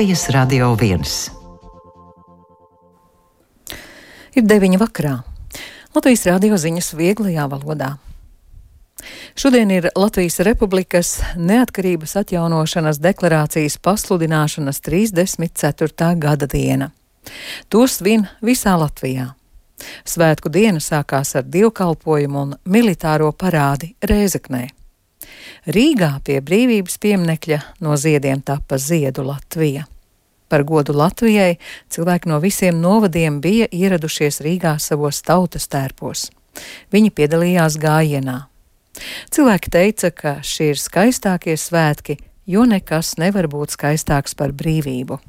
Latvijas Radio 1. Ir 9 vakarā. Latvijas radio ziņas vieglajā valodā. Šodien ir Latvijas Republikas neatkarības atjaunošanas deklarācijas pasludināšanas 34. gada diena. To svin visā Latvijā. Svētku diena sākās ar dievkalpojumu un militāro parādi Rēzeknē. Rīgā pie brīvības pieminekļa no ziediem tapa ziedu Latvija. Par godu Latvijai cilvēki no visiem novadiem bija ieradušies Rīgā savos tautas tērpos. Viņi piedalījās gājienā. Cilvēki teica, ka šie ir skaistākie svētki, jo nekas nevar būt skaistāks par brīvību.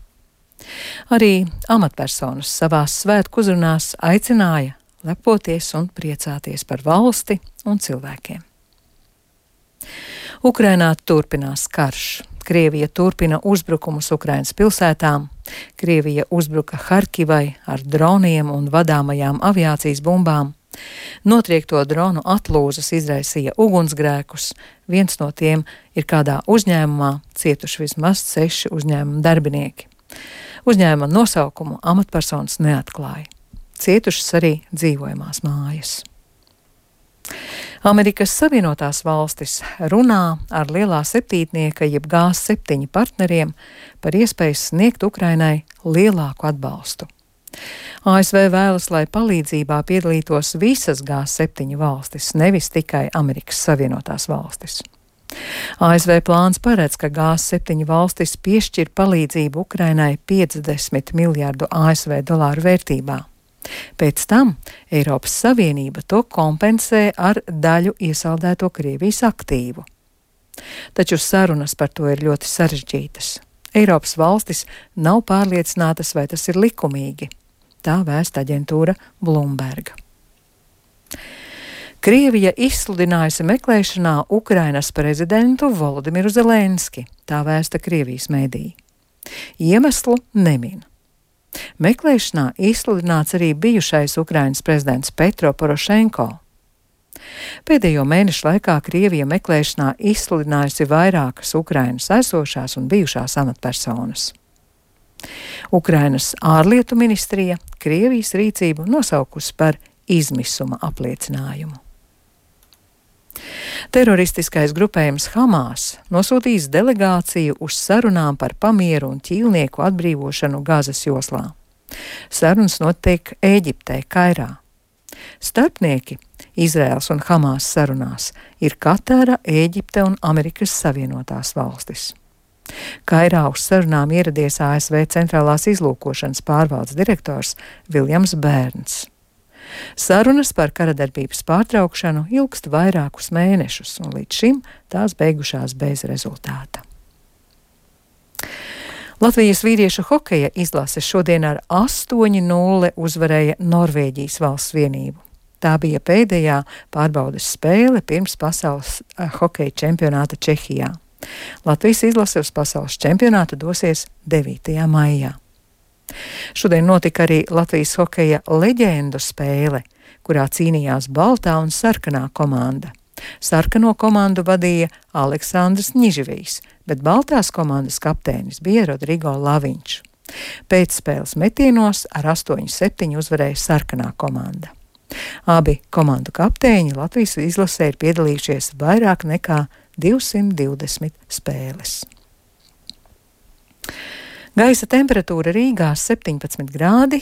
Arī amatpersonas savās svētku uzrunās aicināja lepoties un priecāties par valsti un cilvēkiem. Ukrainā turpinās karš. Krievija turpina uzbrukumus Ukrainas pilsētām. Krievija uzbruka Harkivai ar droniem un vadāmajām aviācijas bumbām. Notriekto dronu atlūzas izraisīja ugunsgrēkus. Viens no tiem ir kādā uzņēmumā, cietuši vismaz 6 uzņēmuma darbinieki. Uzņēmuma nosaukumu amatpersonas neatklāja. Cietušas arī dzīvojamās mājas. Amerikas Savienotās valstis runā ar lielā septītnieka jeb G7 partneriem par iespēju sniegt Ukrainai lielāku atbalstu. ASV vēlas, lai palīdzībā piedalītos visas G7 valstis, nevis tikai Amerikas Savienotās valstis. ASV plāns paredz, ka G7 valstis piešķir palīdzību Ukrainai 50 miljārdu ASV dolāru vērtībā. Pēc tam Eiropas Savienība to kompensē ar daļu iesaldēto Krievijas aktīvu. Taču sarunas par to ir ļoti sarežģītas. Eiropas valstis nav pārliecinātas, vai tas ir likumīgi. Tā vēsta aģentūra Bloomberg. Krievija izsludinājusi meklēšanā Ukrainas prezidentu Volodimiru Zelenski, tā vēsta Krievijas mēdī. Iemeslu nemin. Meklēšanā izsludināts arī bijušais Ukrainas prezidents Petro Porošenko. Pēdējo mēnešu laikā Krievija meklēšanā izsludinājusi vairākas Ukrainas esošās un bijušās amatpersonas. Ukrainas ārlietu ministrija Krievijas rīcību nosaukusi par izmisuma apliecinājumu. Teroristiskais grupējums Hamas nosūtīs delegāciju uz sarunām par pamieru un ķīlnieku atbrīvošanu Gazas joslā. Sarunas notiek Ēģiptē, Kairā. Starpnieki Izraels un Hamas sarunās ir Katara, Ēģipte un Amerikas Savienotās valstis. Kairā uz sarunām ieradies ASV centrālās izlūkošanas pārvaldes direktors Viljams Bērns. Sarunas par karadarbības pārtraukšanu ilgst vairākus mēnešus, un līdz šim tās beigušās bez rezultāta. Latvijas vīriešu hokeja izlase šodien ar 8-0 uzvarēja Norvēģijas valsts vienību. Tā bija pēdējā pārbaudes spēle pirms pasaules hokeja čempionāta Čehijā. Latvijas izlase uz pasaules čempionātu dosies 9. maijā. Šodien notika arī Latvijas hokeja leģendu spēle, kurā cīnījās baltā un sarkanā komanda. Sarkano komandu vadīja Aleksandrs Ņiživijs, bet baltās komandas kapteinis bija Rodrigo Laviņš. Pēcspēles metienos ar 8-7 uzvarēja sarkanā komanda. Abi komandu kapteiņi Latvijas izlasē ir piedalījušies vairāk nekā 220 spēles. Gaisa temperatūra Rīgā 17 grādi,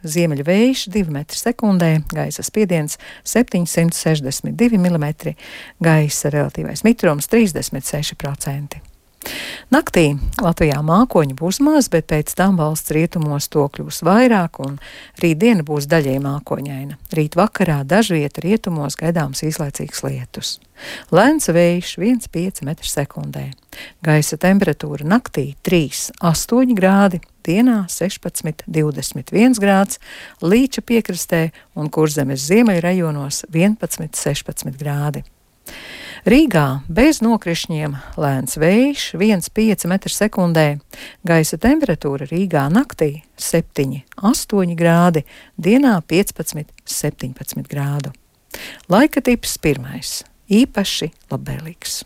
ziemeļu vējš 2 metri sekundē, gaisa spiediens 762 mm, gaisa relatīvais mitrums 36%. Naktī Latvijā mākoņu būs maz, bet pēc tam valsts rietumos to kļūs vairāk un rītdiena būs daļēji mākoņaina. Rīt vakarā dažviet rietumos gaidāms īslaicīgs lietus. Lēns vējš 1,5 metri sekundē. Gaisa temperatūra naktī 3,8 grādi, dienā 16,21 grāds, Līča piekrastē un Kurzemes ziemeļu rajonos 11,16 grādi. Rīgā bez nokrišņiem lēns vējš 1,5 metri sekundē, gaisa temperatūra Rīgā naktī 7,8 grādi, dienā 15,17 grādu. Laika tips 1. Īpaši labvēlīgs.